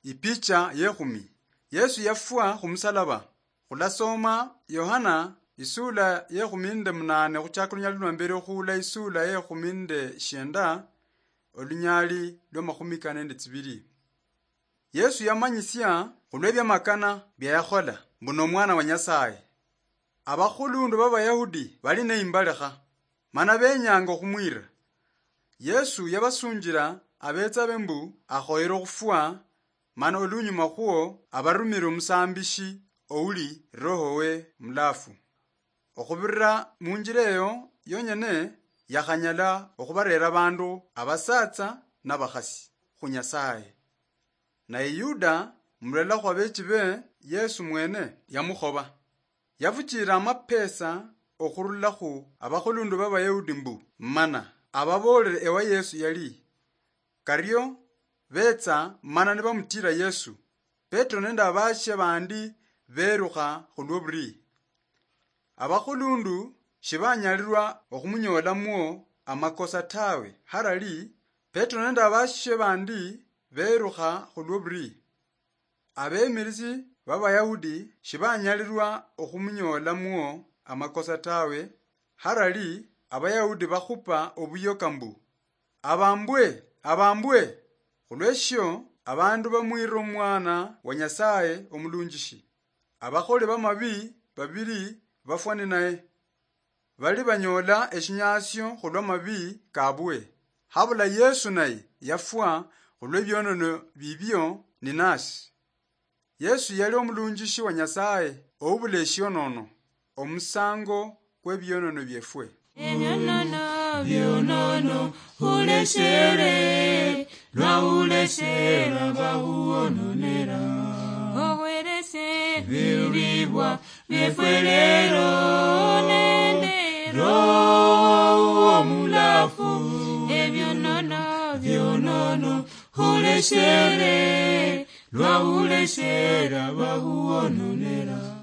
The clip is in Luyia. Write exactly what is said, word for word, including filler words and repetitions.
Ipicha yekhumi. Yesu yafwa khumusalaba. Khulasoma Yohana isula yekhumi nende munane khuchaka olunyali lwa mbere okhuula isula yekhumi nende shienda, olunyali lwa makhumi kane nende tsibiri. Yesu yamanyisia khulwa ebyamakana bya yakhola mbu n'omwana wa Nyasaye. Abakhulundu b'Abayahudi bali neimbalekha, mana benyanga okhumwira. Yesu yabasunjira abetsabe mbu akhoyere okhufwa, mana olunyuma khwo abarumire omusambishi ouli roho we mulafu. Okhubirira munjira eyo yonyene yakhanyala okhubarera abandu abasatsa nabakhasi khu Nyasaye. Naye Yuda, mulala khwa bechi be Yesu mwene, yamukhoba. Yafuchira amapesa okhurula khu abakhulundu b'Abayahudi mbu mana ababoolere ewa Yesu yali. Kario betsa mana nibamutira Yesu. Petro nende abashe bandi berukha khulwo buri. Abakhulundu shibanyalirwa okhumunyoolamwo amakosa tawe, harali Petro nende abashe bandi berukha khulwo buri. Abemirisi b'Abayahudi shibanyalirwa okhumunyoolamwo amakosa tawe, harali Abayahudi bakhupa obuyoka mbu, "Abambwe, abambwe!" Khulweshio abandu bamwira omwana wa Nyasaye omulunjishi. Abakholi b'amabi babiri bafwa ninaye. Bali banyoola eshinyasio khulwa mabi kabwe. Habula Yesu naye yafwa khulwe bionono bibio ninasi. Yesu yali omulunjishi wa Nyasaye oubula eshionono, omusango kwe bionono biefwe. Ebionono, bionono, huleshere, lwa huleshera bahuononera. Owerese biribwa biefwe lero nende Roho Omulafu. Ebionono, bionono, huleshere, lwa huleshera bahuononera.